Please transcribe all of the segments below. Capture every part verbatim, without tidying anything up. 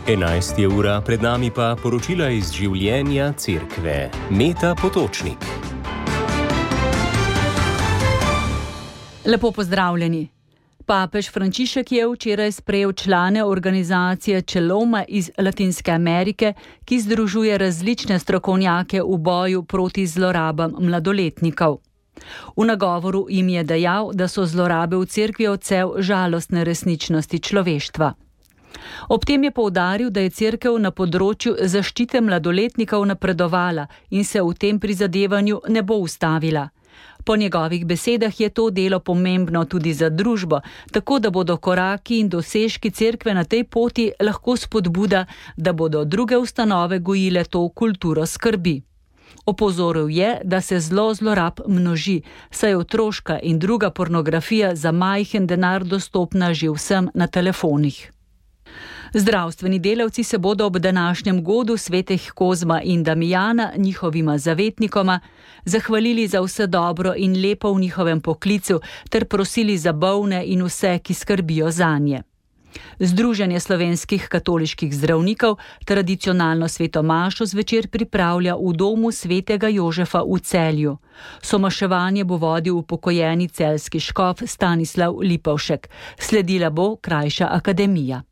enajst je ura, pred nami pa poročila iz življenja cerkve. Meta Potočnik. Lepo pozdravljeni. Papež Frančišek je včeraj sprejel člane organizacije Čeloma iz Latinske Amerike, ki združuje različne strokovnjake v boju proti zlorabam mladoletnikov. V nagovoru jim je dejal, da so zlorabe v cerkvi odsev žalostne resničnosti človeštva. Ob tem je poudaril, da je cerkev na področju zaščite mladoletnikov napredovala in se v tem prizadevanju ne bo ustavila. Po njegovih besedah je to delo pomembno tudi za družbo, tako da bodo koraki in dosežki cerkve na tej poti lahko spodbuda, da bodo druge ustanove gojile to kulturo skrbi. Opozoril je, da se zlo zlorab množi, saj je otroška in druga pornografija za majhen denar dostopna že vsem na telefonih. Zdravstveni delavci se bodo ob današnjem godu svetih Kozma in Damijana, njihovima zavetnikoma, zahvalili za vse dobro in lepo v njihovem poklicu ter prosili za bolne in vse, ki skrbijo zanje. Združenje slovenskih katoliških zdravnikov tradicionalno sveto mašo zvečer pripravlja v domu svetega Jožefa v Celju. Somaševanje bo vodil upokojeni celjski škof Stanislav Lipovšek. Sledila bo krajša akademija.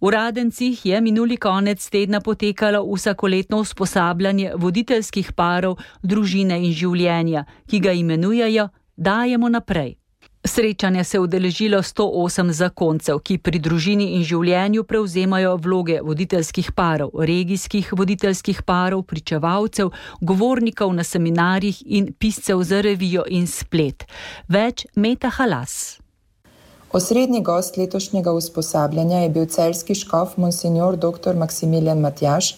V Radencih je minuli konec tedna potekalo vsakoletno usposabljanje voditeljskih parov družine in življenja, ki ga imenujejo Dajemo naprej. Srečanja se je udeležilo sto osem zakoncev, ki pri družini in življenju prevzemajo vloge voditeljskih parov, regijskih voditeljskih parov, pričevalcev, govornikov na seminarjih in piscev za revijo in splet. Več Meta Halas. Osrednji gost letošnjega usposabljanja je bil celjski škof monsinjor dr. Maksimilijan Matjaž,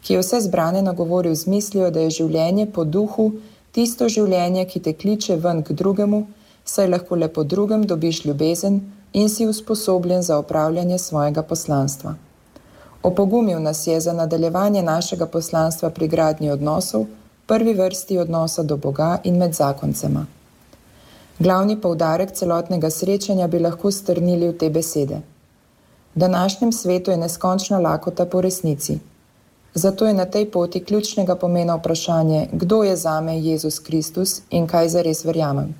ki je vse zbrane nagovoril z mislijo, da je življenje po duhu tisto življenje, ki te kliče ven k drugemu, saj lahko le po drugem dobiš ljubezen in si usposobljen za opravljanje svojega poslanstva. Opogumil nas je za nadaljevanje našega poslanstva pri gradnji odnosov, prvi vrsti odnosa do Boga in med zakoncema. Glavni poudarek celotnega srečanja bi lahko strnili v te besede. V današnjem svetu je neskončna lakota po resnici. Zato je na tej poti ključnega pomena vprašanje, kdo je zame Jezus Kristus in kaj zares verjamem.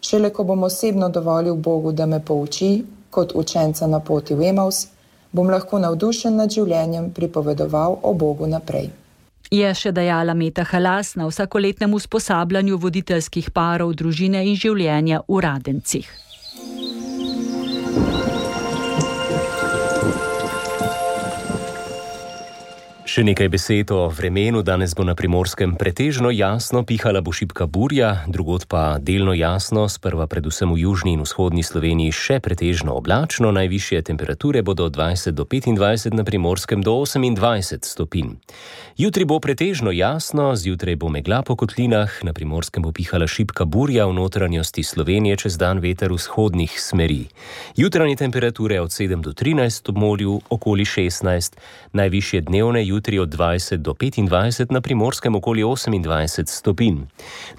Šele ko bom osebno dovolil Bogu, da me pouči, kot učenca na poti v Emaus, bom lahko navdušen nad življenjem pripovedoval o Bogu naprej. Je še dejala Meta Halas na vsakoletnem usposabljanju voditeljskih parov družine in življenja v Radencih. Še nekaj besed o vremenu. Danes bo na Primorskem pretežno jasno, pihala bo šibka burja, drugod pa delno jasno, sprva predvsem v južni in vzhodni Sloveniji še pretežno oblačno, najvišje temperature bodo od dvajset do petindvajset, na Primorskem do osemindvajset stopinj. Jutri bo pretežno jasno, zjutraj bo megla po kotlinah, na Primorskem bo pihala šibka burja, v notranjosti Slovenije čez dan veter vzhodnih smeri. Jutranje temperature od sedem do trinajst, ob morju okoli šestnajst, najvišje dnevne jutri od dvajset do petindvajset, na Primorskem okoli osemindvajset stopinj.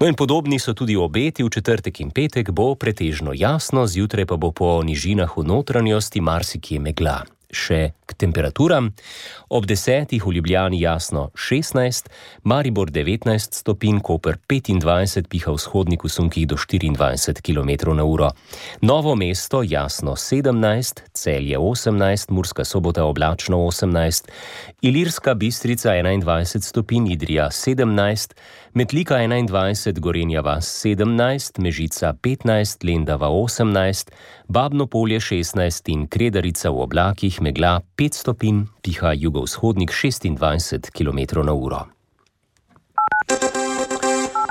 No in podobni so tudi obeti, v četrtek in petek bo pretežno jasno, zjutraj pa bo po nižinah v notranjosti marsikje megla. Še k temperaturam. Ob desetih v Ljubljani jasno šestnajst, Maribor devetnajst stopinj, Koper petindvajset, piha vzhodnik v sunkih do štiriindvajset kilometrov na uro. Novo mesto jasno sedemnajst, Celje osemnajst, Murska Sobota oblačno osemnajst, Ilirska Bistrica enaindvajset stopinj, Idrija sedemnajst, Metlika enaindvajset, Gorenja vas sedemnajst, Mežica petnajst, Lendava osemnajst, Babno Polje šestnajst in Kredarica v oblakih megla pet stopinj, piha jugovzhodnik šestindvajset kilometrov na uro.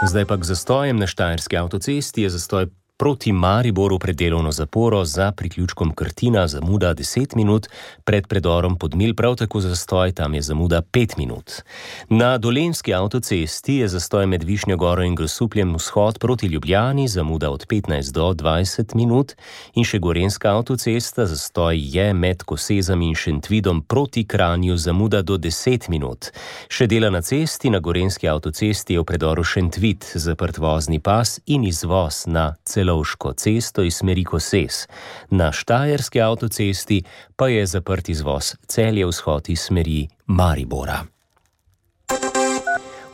Zdaj pa k zastojem. Na Štajerski avtocesti je zastoj proti Mariboru pred delovno zaporo za priključkom Krtina, zamuda deset minut, pred predorom Podmilj prav tako zastoj, tam je zamuda pet minut. Na Dolenjski avtocesti je zastoj med Višnjo Goro in Grosupljem vzhod proti Ljubljani, zamuda od petnajst do dvajset minut, in še Gorenjska avtocesta, zastoj je med Kosezami in Šentvidom proti Kranju, zamuda do deset minut. Še dela na cesti, na Gorenjski avtocesti je v predoru Šentvid zaprt vozni pas in izvoz na celo Celovško cesto iz smeri Koses. Na štajerski avtocesti pa je zaprt izvoz Celje-vzhod iz smeri Maribora.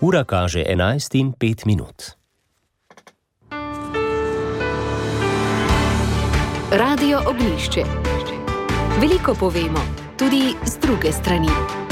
Ura kaže enajst in pet minut. Radio Ognjišče. Veliko povemo, tudi z druge strani.